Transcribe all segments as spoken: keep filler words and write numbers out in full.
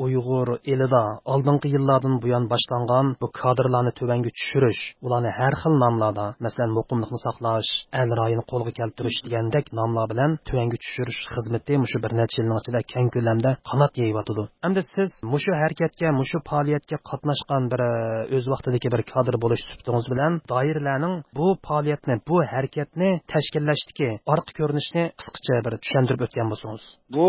ئۇيغۇر ئېلىدا ئالدىنقى يىللاردىن بۇيان باشلانغان بۇ كادىرلارنى تۆۋەنگە چۈشۈرۈش، ئۇلارنى ھەر خىل ناملاردا، مەسىلەن، مۇقىملىقنى ساقلاش، ئەل رايىنى قولغا كەلتۈرۈش دېگەندەك ناملار بىلەن تۆۋەنگە چۈشۈرۈش خىزمىتى مۇشۇ بىر نەچچە يىلنىڭ ئىچىدە كەڭ كۆلەمدە قانات يېيىۋاتىدۇ. ئەمدى سىز مۇشۇ ھەرىكەتكە، مۇشۇ پائالىيەتكە قاتناشقان بىر، ئۆز ۋاقتىدىكى بىر كادىر بولۇش سۈپىتىڭىز بىلەن دائىرىلەرنىڭ بۇ پائالىيەتنى، بۇ ھەرىكەتنى تەشكىللەشتىكى ئارقا كۆرۈنۈشىنى قىسقىچە بىر چۈشەندۈرۈپ ئۆتكەن بولسىڭىز. بۇ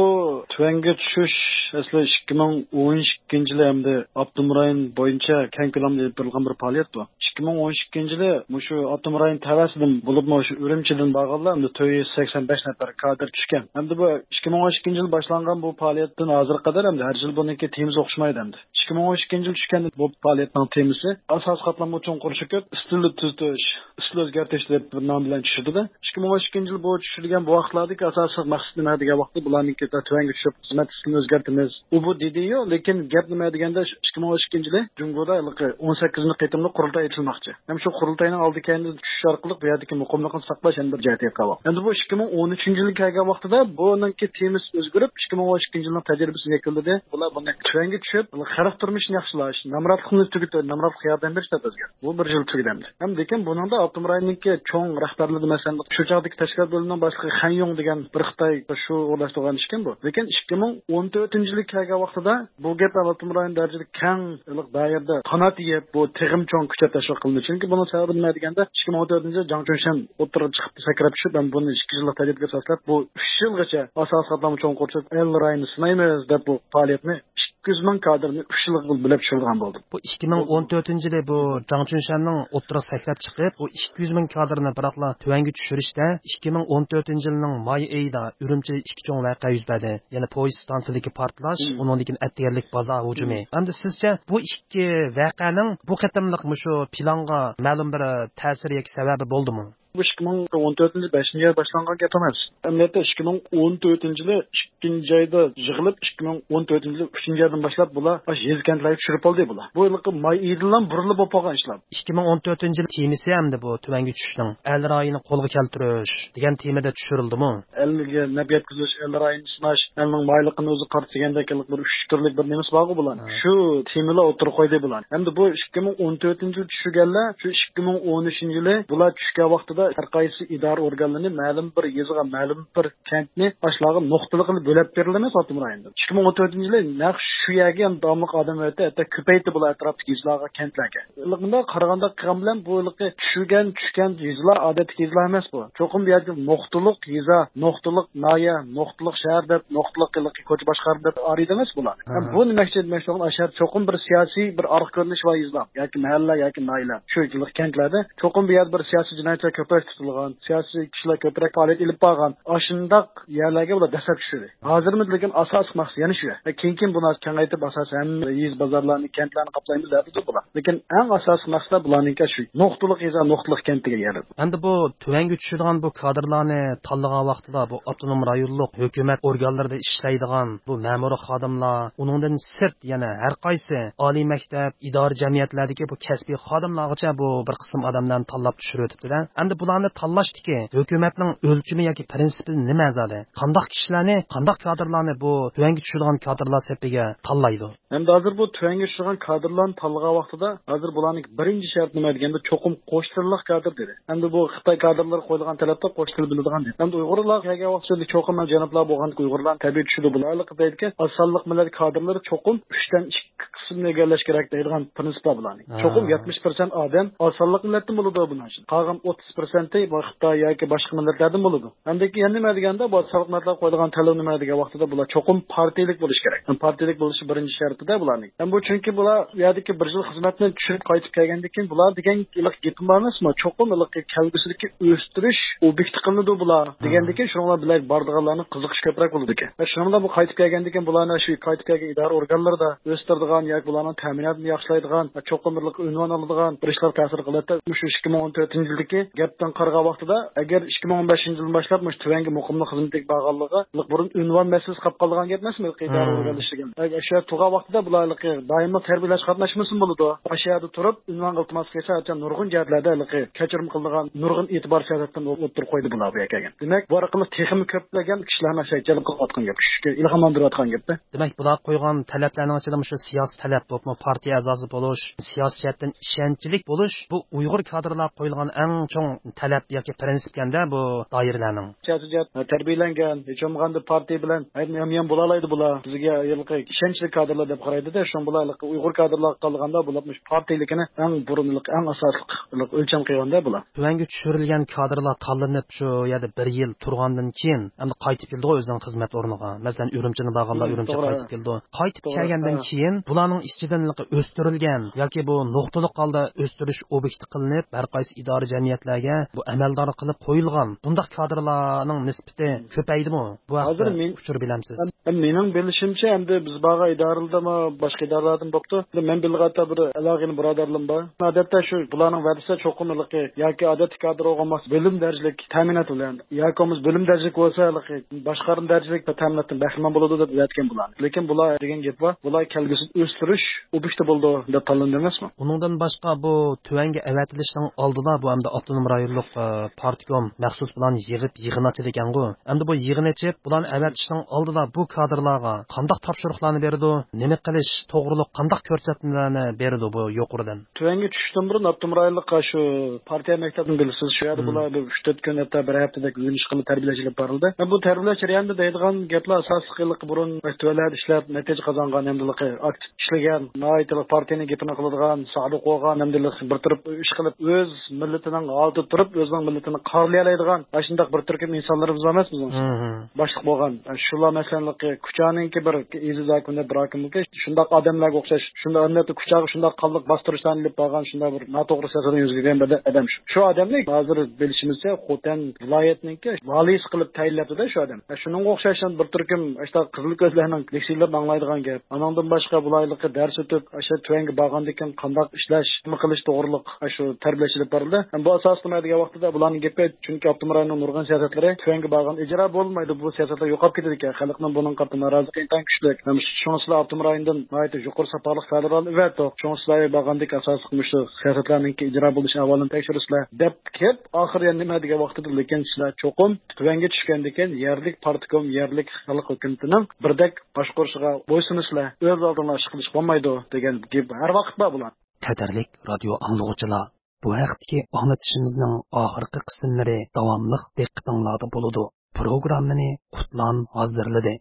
تۆۋەنگە چۈشۈش ئەسلى ئىككى مىڭ ئون ئىككىنچى يىلى ھەمدە ئاپتونوم رايون بويىچە كەڭ كۆلەمدە ئېلىپ بېرىلغان بىر پائالىيەت بۇ. ئىككى مىڭ ئون ئىككىنچى يىلى مۇشۇ ئاپتونوم رايون تەۋەسىدىن، بولۇپمۇ شۇ ئۈرۈمچىدىن بارغانلار ھەمدە تۆت يۈز سەكسەن بەش نەپەر كادىر چۈشكەن. ھەمدە بۇ ئىككى مىڭ ئون ئىككىنچى يىلى باشلانغان بۇ پائالىيەتتىن ھازىرغا قەدەر ھەمدە ھەر يىل بۇنىڭكى تېمىسى ئوخشىمايدۇ ھەمدە. ئىككى مىڭ ئون ئىككىنچى يىل چۈشكەن بۇ پائالىيەتنىڭ تېمىسى ئاساسىي قاتلامغا چوڭقۇر چۆكۈپ، ئىستىلنى تۈزىتىش، ئىستىل ئۆزگەرتىش دەپ بىر نام بىلەن چۈشۈرىدۇ. ئىككى مىڭ ئون ئىككىنچى يىل بۇ چۈشۈرگەن بۇ ۋاقىتلاردىكى ئاساسلىق مەقسىتى نېمە دېگەن ۋاقىتتا، بۇلارنىڭكى تۆۋەنگە چۈشۈپ خىزمەت ئىستىلىنى ئۆزگەرتىمىز، ئۇ بۇ دېدىيۇ. لېكىن گەپ نېمە دېگەندە، ئىككى مىڭ ئون ئىككىنچى يىلى جۇڭگودا ھېلىقى ئون سەككىزىنچى قېتىملىق قۇرۇلتاي ئېچىلماقچى. ھەم شۇ قۇرۇلتاينىڭ ئالدى كەينىدىن چۈشۈش ئارقىلىق بۇ يەردىكى مۇقىملىقنى ساقلاش يەنە بىر جەھەتكە قالغان. ئەمدى بۇ ئىككى مىڭ ئون ئۈچىنچى يىلغا كەلگەن ۋاقتىدا بۇنىڭكى تېمىسى ئۆزگىرىپ، ئىككى مىڭ ئون ئىككىنچى يىلنىڭ تەجرىبىسىنى يەكۈنلىدى. بۇلار بۇنى تۆۋەنگە چۈشۈپ، خەلق تۇرمۇشىنى ياخشىلاش، نامراتلىقنى تۈگىتىپ، نامراتلىققا ياردەم بېرىش دەپ ئۆزگەردى. بۇ بىر يىل تۈگىدى ئەمدى. ھەم لېكىن بۇنىڭدا ئاپتونوم رايوننىڭكى چوڭ رەھبەرلىرى، مەسىلەن، شۇ چاغدىكى تەشكىلات بۆلۈمىنىڭ باشلىقى خەن يۇڭ دېگەن بىر خىتاي شۇ ئورۇنلاشتۇرغان ئىكەن بۇ. لېكىن ئىككى مىڭ ئون تۆتىنچى يىلى كەلگەن ۋاقتىدا بۇ گەپ ئاپتونوم رايون دەرىجىلىك كەڭ دائىرىدە قانات يېيىپ، بۇ تېخىمۇ چوڭ كۈچەپ تەشۋىق قىلىندى. چۈنكى بۇنىڭ سەۋەبى نېمە دېگەندە، ئىككى مىڭ ئون تۆتىنچى يىلى جاڭ چۈنشەن ئوتتۇرىغا چىقىپ سەكرەپ چۈشۈپ، ھەم بۇنى ئىككى يىللىق تەجرىبىگە ئاساسلاپ، بۇ ئۈچ يىلغىچە ئاساسىي قاتلامغا چوڭقۇر چۆكۈپ، ئەل رايىنى سىنايمىز دەپ بۇ پائالىيەتنى ئىككى يۈز مىڭ كادىرنى ئۈچ يىلغا بۆلۈپ چۈشۈرىدىغان بولدى. بۇ ئىككى مىڭ ئون تۆتىنچى يىلى بۇ جاڭ چۈنشەننىڭ ئوتتۇرىغا سەكرەپ چىقىپ، بۇ ئىككى يۈز مىڭ كادىرنى بىراقلا تۆۋەنگە چۈشۈرۈشتە، ئىككى مىڭ ئون تۆتىنچى يىلنىڭ ماي ئېيىدا ئۈرۈمچىدە ئىككى چوڭ ۋەقە يۈز بەردى. يەنى پويىز ئىستانسىسىدىكى پارتلاش، مم. ئۇنىڭدىن كېيىن ئەتىگەنلىك بازار ھۇجۇمى. مم. ئەمدى سىزچە بۇ ئىككى ۋەقەنىڭ بۇ قېتىملىق مۇشۇ پىلانغا مەلۇم بىر تەسىرى ياكى سەۋەبى بولدىمۇ؟ بۇ ئىككى مىڭ ئون تۆتىنچى يىل بەشىنچى ئاي باشلانغان گەپ ئەمەس. ئەمەلىيەتتە ئىككى مىڭ ئون تۆتىنچى يىلى ئىككىنچى ئايدا يىغىلىپ، ئىككى مىڭ ئون تۆتىنچى يىلى ئۈچىنچى ئايدىن باشلاپ بۇلار ئاشۇ يېزا كەنتلەرگە چۈشۈرۈپ بولدى بۇلار. بۇ ھېلىقى ماي ئېيىدىنلا بۇرۇنلا بولۇپ بولغان ئىشلار. ئىككى مىڭ ئون تۆتىنچى يىل تېمىسى ئەمدى بۇ تۆۋەنگە چۈشۈشنىڭ ئەل رايىنى قولغا كەلتۈرۈش دېگەن تېمىدا چۈشۈرۈلدىمۇ؟ ئەلگە نەپ يەتكۈزۈش، ئەل رايىنى سىناش، ئەلنىڭ مايلىقىنى ئۆزى قارىتىش دېگەندەك بىر ئۈچ تۈرلۈك بىر نېمىسى بارغۇ بۇلار. ھە. شۇ تېمىلار ئوتتۇرىغا قويدى بۇلار. ئەمدى بۇ ئىككى مىڭ ئون تۆتىنچى يىل چۈشۈرگەنلەر شۇ ئىككى مىڭ ئون ئۈچىنچى يىلى بۇلار چۈشكەن ۋاقتىدا ھەر قايسى ئىدارە ئورگانلىرىنى مەلۇم بىر يېزىغا، مەلۇم بىر كەنتنى ئاشۇلارغا نۇقتىلىق قىلىپ بۆلەپ بېرىلىمىز ئاپتونوم رايوندا. ئىككى مىڭ ئون تۆتىنچى يىلى نەق شۇ يەرگە يەنە داۋاملىق ئادەم ئەۋەتتى، ھەتتا كۆپەيتتى بۇلار ئەتراپتىكى يېزىلارغا، كەنتلەرگە. لېكىن بۇنداق قارىغاندا قىلغان بىلەن بۇ ھېلىقى چۈشۈرگەن، چۈشكەن يېزىلار ئادەتتىكى يېزىلار ئەمەس بۇ. چوقۇم بۇ يەردە نۇقتىلىق يېزا، نۇقتىلىق ناھىيە، نۇقتىلىق شەھەر دەپ، نۇقتىلىق ھېلىقى كوچا باشقارما دەپ ئايرىيدۇ ئەمەس بۇلار. ھەم بۇ نېمە ئۈچۈن دېمەكچى بولغان، ئاشۇ يەردە چوقۇم بىر سىياسىي بىر ئارقا كۆرۈنۈش بار يېزىلار ياكى مەھەللە ياكى ناھىيەلەر. شۇ ھېلىقى كەنتلەردە چوقۇم بۇ يەردە بىر سىياسىي جىنايەتچىلەر كۆپرەك تۇتۇلغان، سىياسىي كىشىلەر كۆپرەك پائالىيەت ئېلىپ بارغان. ئاشۇنداق يەرلەرگە بۇلار دەسسەپ چۈشۈردى. ھازىرمۇ لېكىن ئاساسلىق مەقسەت يەنە شۇ. كېيىن، كېيىن بۇنى كېڭەيتىپ، ئاساسەن ھەممە يېزا، بازارلارنى، كەنتلەرنى قاپلايمىز دەپ تۇرىدۇ بۇلار. لېكىن ئەڭ ئاساسلىق مەقسەت بۇلارنىڭكى شۇ نۇقتىلىق يېزا، نۇقتىلىق كەنت دېگەن يەر. ئەمدى بۇ تۆۋەنگە چۈشىدىغان بۇ كادىرلارنى تاللىغان ۋاقتىدا بۇ ئاپتونوم رايونلۇق ھۆكۈمەت ئورگانلىرىدا ئىشلەيدىغان بۇ مەمۇرىي خادىملار، ئۇنىڭدىن سىرت يەنە ھەر قايسى ئالىي مەكتەپ، ئىدارە جەمئىيەتلەردىكى بۇ كەسپىي خادىملارغىچە بۇ بىر قىسىم ئادەملەرنى تاللاپ چۈشۈرۈۋېتىپتۇ-دە. ئەمدى بۇلارنى تاللاشتىكى ھۆكۈمەتنىڭ ئۆلچىمى ياكى پىرىنسىپى نېمە زادى؟ قانداق كىشىلەرنى، قانداق كادىرلارنى بۇ تۆۋەنگە چۈشىدىغان كادىرلار سېپىگە تاللايدۇ؟ ئەمدى ھازىر بۇ تۆۋەنگە چۈشىدىغان كادىرلارنى تاللىغان ۋاقتىدا، ھازىر بۇلارنىڭ بىرىنچى شەرتى نېمە دېگەندە، چوقۇم قوش تىللىق كادىر دېدى. ئەمدى بۇ خىتاي كادىرلىرىغا قويۇلغان تەلەپتە قوش تىل بىلىدىغان دېدى. ئەمدى ئۇيغۇرلار كەلگەن ۋاقتىدا چوقۇم مەن جەنۇبلار بولغان ئۇيغۇرلارنى تەبىئىي چۈشىدۇ. بۇلارلىق دەيدىكەن، ئاز سانلىق مىللەت كادىرلىرى چوقۇم ئۈچتىن ئىككى قىسىمنى ئىگىلەش كېرەك دەيدىغان پىرىنسىپ بار بۇلارنىڭ. ھە. چوقۇم يەتمىش پىرسەنت ئادەم ئاز سانلىق مىللەتتىن بولىدۇ بۇنىڭ ئۈچۈن. قالغان ئوتتۇز پىرسەنتى بۇ خىتاي ياكى باشقا مىللەتلەردىن بولىدۇ. ئەمدىكى يەنە نېمە دېگەندە، بۇ ئاز سانلىق مىللەتلەرگە قويىدىغان تەلەپ نېمە دېگەن ۋاقتىدا، بۇلار چوقۇم پارتىيىلىك بولۇشى كېرەك. ھەم پارتىيىلىك بولۇشى بىرىنچى شەرتىدە بۇلارنىڭ. ھەم بۇ چۈنكى بۇلار بۇ يەردىكى بىر يىل خىزمەتنى چۈشۈرۈپ قايتىپ كەلگەندىن كېيىن، بۇلار دېگەن ھېلىقى گېپىم بار ئەمەسمۇ؟ چوقۇم ھېلىقى كەلگۈسىدىكى ئۆستۈرۈش ئوبيېكتى قىلىنىدۇ بۇلار دېگەندىن كېيىن، شۇنىڭ بىلەن بىللە بارىدىغانلارنىڭ قىزىقىشى كۆپرەك بولىدىكەن. ۋە شۇنىڭ بىلەن بۇ قايتىپ كەلگەندىن كېيىن، بۇلارنى شۇ قايتىپ كەلگەن ئىدارە ئورگانلىرىدا ئۆستۈرىدىغان بۇلارنىڭ تەمىناتىنى ياخشىلايدىغان، چوقۇم بىر ئۇنۋان ئالىدىغان بىر ئىشلار تەسىر قىلىدۇ. مۇشۇ ئىككى مىڭ ئون تۆتىنچى يىلدىكى گەپتىن قارىغان ۋاقتىدا، ئەگەر ئىككى مىڭ ئون بەشىنچى يىلدىن باشلاپ مۇشۇ تۆۋەنگە مۇقىملىق خىزمىتىگە بارغانلىقى، بۇرۇن ئۇنۋان مەسىلىسى قالىپ قالىدىغان گەپ ئەمەسمۇ؟ ئىدارە ئورگانلىشىدىكەن. شۇ يەردە تۇرغان ۋاقتىدا بۇلار دائىملىق تەربىيەلەش قاتناشمىسۇن بولىدۇ. ئاشۇ يەردە تۇرۇپ ئۇنۋان ئىلتىماس قىلسا، نۇرغۇن جەھەتلەردە كەچۈرۈم قىلىدىغان نۇرغۇن ئېتىبار سىياسەتلىرىنى ئوتتۇرىغا قويدى بۇلار بۇ يەرگە كەلگەن. دېمەك، بۇ ئارقىلىق تېخىمۇ كۆپلىگەن كىشىلەرنى شەيتچىلىق قىلىۋاتقان گەپ، چۈشكە ئىلھاملاندۇرۇۋاتقان گەپتە. دېمەك، بۇلار قويغان تەلەپلەرنىڭ ئىچىدە مۇشۇ سىياسىي تەلەپ بولۇپمۇ، پارتىيە ئەزاسى بولۇش، سىياسىي جەھەتتىن ئىشەنچلىك بولۇش، بۇ ئۇيغۇر كادىرلارغا قويۇلغان ئەڭ چوڭ تەلەپ ياكى پرىنسىپكەندە بۇ دائىرىلەرنىڭ. سىياسىي جەھەت تەربىيەلەنگەن، ھېچ بولمىغاندا پارتىيە بىلەن ھەم ھەم بولالايدۇ بۇلار. بىزگە ھېلىقى ئىشەنچلىك كادىرلار دەپ قارايدۇ-دە، شۇڭا بۇلار ھېلىقى ئۇيغۇر كادىرلارغا قارىغاندا بۇلار مۇشۇ پارتىيىلىكىنى ئەڭ بۇرۇن ھېلىقى ئەڭ ئاساسلىق ھېلىقى ئۆلچەم قىلغاندا بۇلار. تۆۋەنگە چۈشۈرۈلگەن كادىرلار تاللىنىپ شۇ يەردە بىر يىل تۇرغاندىن كېيىن ئەمدى قايتىپ كېلىدىغۇ ئۆزىنىڭ خىزمەت ئورنىغا. مەسىلەن، ئۈرۈمچىدىن بارغانلار مم، ئۈرۈمچىگە توغرا. قايتىپ كېلىدۇ. قايتىپ توغرا، كەلگەندىن ھە. كېيىن بۇلارنىڭ ئىچىدىن ھېلىقى ئۆستۈرۈلگەن ياكى بۇ نۇقتىلىق ھالدا ئۆستۈرۈش ئوبيېكتى قىلىنىپ، ھەر قايسى ئىدارە جەمئىيەتلەرگە بۇ ئەمەلدار قىلىپ قويۇلغان بۇنداق كادىرلارنىڭ نىسبىتى كۆپەيدىمۇ؟ بۇ ھەقتە ھازىر مېن-، ئۇچۇر بىلەمسىز؟ مېنىڭ بىلىشىمچە، ئەمدى بىز بارغان ئىدارىلەردىمۇ، باشقا ئىدارىلەردىمۇ بوپتۇ. مەن بىلىدىغان بىر ئالاقىدار بۇرادەرلىرىم بار. ئادەتتە شۇ بۇلارنىڭ ۋەدىسى چوقۇم ھېلىقى ياكى ئادەتتىكى كادىر بولغان بولمىسا، بۆلۈم دەرىجىلىك تەمىنات بىلەن ياكى بولمىسا بۆلۈم دەرىجىلىك بولسا، ھېلىقى باشقارما دەرىجىلىك تەمىناتتىن بەھرىمەن بولىدۇ دەپ ئۆتكەن بۇلار. لېكىن بۇلار دېگەن گەپ بار، بۇلار كەلگۈسىدە ئۆستۈرۈش ئوبيېكتى بولىدۇ دەپ تاللىنىدۇ ئەمەسمۇ؟ ئۇنىڭدىن باشقا، بۇ تۆۋەنگە ئەۋەتىلىشنىڭ ئالدىدا بۇ ئەمدى ئاپتونوم رايونلۇق، ئە، پارتكوم مەخسۇس بۇلارنى يىغىپ، يىغىن ئاچىدىكەنغۇ. ئەمدى بۇ يىغىن ئېچىپ، بۇلارنى ئەۋەتىشنىڭ ئالدىدا بۇ كادىرلارغا قانداق تاپشۇرۇقلارنى بېرىدۇ، نېمە قىلىش توغرۇلۇق قانداق كۆرسەتمىلەرنى بېرىدۇ بۇ يۇقىرىدىن؟ تۆۋەنگە چۈشۈشتىن بۇرۇن ئاپتونوم رايونلۇق شۇ پارتىيە مەكتەپنى بىلىسىز، شۇ يەردە مم. بۇلار بىر ئۈچ تۆت كۈن، ھەتتا بىر ھەپتىدەك ئۆگىنىش قىلىپ تەربىيەلەش ئېلىپ بارىلدى. بۇ تەربىيەلەش جەريانىدا دەيدىغان گەپلەر ئاساسلىقى بۇرۇن تۆۋەنلەردە ئىشلەپ نەتىجە قازانغان ھەمدە ئاكتىپ ئىشلىگەن، ناھايىتى پارتىيەنىڭ گېپىنى قىلىدىغان، سادىق بولغان ھەمدە بىر تۇرۇپ ئىش قىلىپ، ئۆز مىللىتىنىڭ ئالدىدا تۇرۇپ، ئۆزىنىڭ مىللىتىنى قارىلىيالايدىغان ئاشۇنداق بىر تۈركۈم ئىنسانلىرىمىز بار ئەمەسمۇ بىزنىڭ؟ مم. باشلىق بولغان. شۇلار مەسىلەن، كۇچانىڭكى بىر ئېزىز ھاكىم دەپ بىر ھاكىملىكى شۇنداق ئادەملەرگە ئوخشاش، شۇنداق ئەمەلىيەتتە كۇچاغا شۇنداق قانلىق باستۇرۇشلارنى ئېلىپ بارغان، شۇنداق بىر ناتوغرا سىياسەتنى يۈرگۈزگەن بىر ئادەم شۇ. شۇ ئادەمنى ھازىر بىلىشىمىزچە خوتەن ۋىلايەتنىڭكى ۋالىيسى قىلىپ تەيىنلەپتۇ-دە شۇ ئادەم. شۇنىڭغا ئوخشاش بىر تۈركۈم ئاشۇنداق قىزىل كۆزلەرنىڭ لېكسىيىلىرىنى ئاڭلايدىغان گەپ. ئانىڭدىن باشقا بۇلار ھېلىقى دەرس ئۆتۈپ، ئاشۇ تۆۋەنگە بارغاندىن كېيىن قانداق ئىشلەش، نېمە قىلىش توغرىلىق ئاشۇ تەربىيەلەش ئېلىپ بارىلدى. بۇ ئاساستا نېمە دېگەن ۋاقتىدا بۇلارنىڭ گېپى، چۈنكى ئاپتونوم رايوننىڭ نۇرغۇن سىياسەتلىرى تۆۋەنگە بارغان ئىجرا بولمايدۇ. بۇ سىياسەتلەر يوقاپ كېتىدىكەن. خەلقنىڭ بۇنىڭغا قارىتا نارازىلىقى ئىنتايىن كۈچلۈك. شۇڭا سىلەر ئاپتونوم رايوندىن ناھايىتى يۇقىرى ساپالىق كادىرلارنى ئەۋەتتۇق. شۇڭا سىلەر بارغاندىكى ئاساسلىق مۇشۇ سىياسەتلەرنىڭكى ئىجرا بولۇش ئەھۋالىنى تەكشۈرىسىلەر دەپ كېلىپ، ئاخىرى يەنە نېمە دېگەن ۋاقتىدا، لېكىن سىلەر چوقۇم تۆۋەنگە چۈشكەندىن كېيىن يەرلىك پارتكوم، يەرلىك خەلق ھۆكۈمىتىنىڭ بىردەك باشقۇرۇشىغا بويسۇنىسىلەر. ئۆز ئالدىڭلار ئىش قىلىش بولمايدۇ دېگەن گەپ ھەر ۋاقىت بار بۇلار. قەدىرلىك رادىيو ئاڭلىغۇچىلار، بۇ ھەقتىكى ئاڭلىتىشىمىزنىڭ ئاخىرقى قىسىملىرى داۋاملىق دىققىتىڭلاردا بولىدۇ. پروگراممىنى قۇتلان ھازىرلىدى.